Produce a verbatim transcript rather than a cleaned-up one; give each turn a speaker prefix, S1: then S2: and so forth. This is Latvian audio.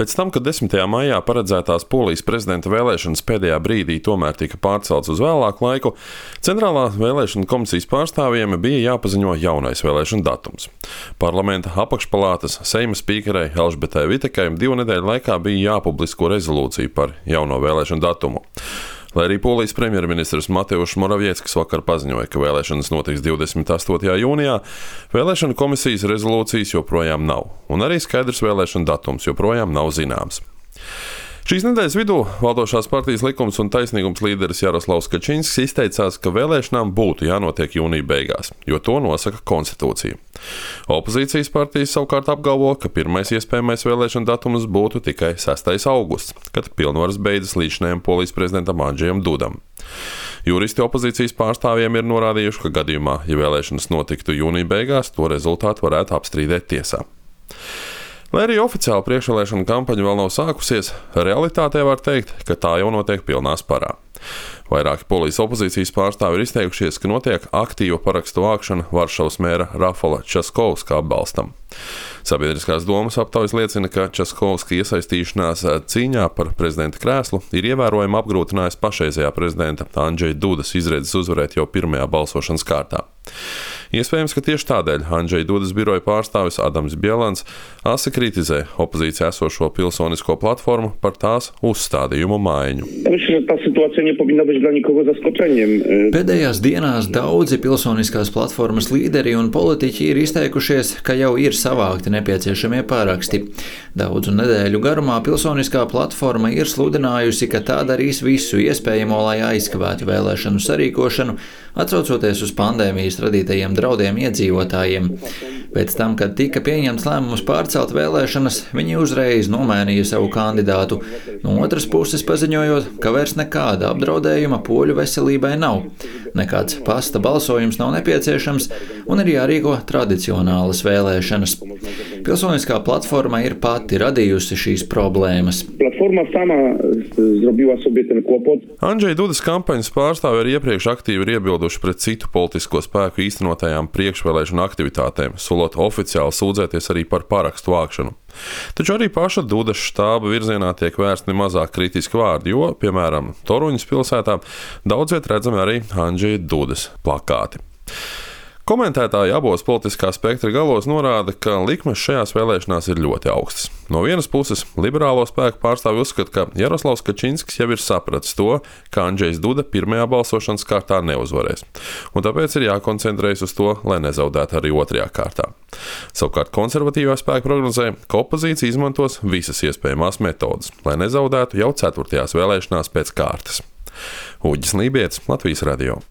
S1: Pēc tam, kad desmitajā maijā paredzētās Polijas prezidenta vēlēšanas pēdējā brīdī tomēr tika pārceltas uz vēlāku laiku, Centrālā vēlēšana komisijas pārstāvjiem bija jāpaziņo jaunais vēlēšana datums. Parlamenta apakšpalātas Seima spīkerei Elžbetai Vitekai divu nedēļu laikā bija jāpublisko rezolūcija par jauno vēlēšanu datumu. Lai arī Polijas premjerministrs Mateušs Moravieckis vakar paziņoja, ka vēlēšanas notiks divdesmit astotajā jūnijā, vēlēšana komisijas rezolūcijas joprojām nav, un arī skaidrs vēlēšana datums joprojām nav zināms. Šīs nedēļas vidū valdošās partijas Likums un taisnīgums līderis Jaroslavs Kačinskis izteicās, ka vēlēšanām būtu jānotiek jūnija beigās, jo to nosaka konstitūcija. Opozīcijas partijas savukārt apgalvo, ka pirmais iespējamais vēlēšana datums būtu tikai sestais augusts, kad pilnvaras beidzas līdzinājumam Polijas prezidentam Andžejam Dudam. Juristi opozīcijas pārstāvjiem ir norādījuši, ka gadījumā, ja vēlēšanas notiktu jūnija beigās, to rezultātu varētu apstrīdēt tiesā. Lai arī oficiāli priekšvēlēšana kampaņa vēl nav sākusies, realitātē var teikt, ka tā jau notiek pilnā sparā. Vairāki Polijas opozīcijas pārstāvi ir izteikušies, ka notiek aktīva parakstu vākšana Varšavas mēra Rafala Časkovska atbalstam. Sabiedriskās domas aptaujas liecina, ka Časkovska iesaistīšanās cīņā par prezidenta krēslu ir ievērojami apgrūtinājusi pašreizējā prezidenta Andžeja Dudas izredzes uzvarēt jau pirmajā balsošanas kārtā. Iespējams, ka tieši tādēļ Andžeja Dudas biroja pārstāvis Adams Bielans asi kritizē opozīcijā esošo pilsonisko platformu par tās uzstādījumu maiņu.
S2: Pēdējās dienās daudzi pilsoniskās platformas līderi un politiķi ir izteikušies, ka jau ir savākti nepieciešamie pāraksti. Daudzu nedēļu garumā pilsoniskā platforma ir sludinājusi, ka tā darīs visu iespējamo, lai aizkavētu vēlēšanu sarīkošanu, atsaucoties uz pandēmijas radītajiem draudiem iedzīvotājiem. Pēc tam, kad tika pieņemts lēmums pārcelt vēlēšanas, viņi uzreiz nomainīja savu kandidātu, no otras puses paziņojot, ka vairs nekāda apdraudējuma poļu veselībai nav. Nekāds pasta balsojums nav nepieciešams un ir jārīko tradicionālas vēlēšanas. Pilsoniskā platforma ir pati radījusi šīs problēmas.
S1: Andžeja Dudas kampaņas pārstāvi arī iepriekš aktīvi ir iebilduši pret citu politisko spēku īstenotajām priekšvēlēšanu aktivitātēm, solot oficiāli sūdzēties arī par parakstu vākšanu. Taču arī paša Dudas štāba virzienā tiek vērsti mazāk kritiski vārdi, jo, piemēram, Toruņas pilsētā daudzviet redzami arī Andžeja Dudas plakāti. Komentētāji abos politiskā spektra galos norāda, ka likmes šajās vēlēšanās ir ļoti augstas. No vienas puses, liberālo spēku pārstāvi uzskata, ka Jaroslavs Kačinskis jau ir sapratis to, ka Andžejs Duda pirmajā balsošanas kārtā neuzvarēs, un tāpēc ir jākoncentrējas uz to, lai nezaudētu arī otrajā kārtā. Savukārt konservatīvā spēka prognozē, ka opozīcija izmantos visas iespējamās metodas, lai nezaudētu jau ceturtajās vēlēšanās pēc kārtas. Uģis Lībietis, Latvijas radio.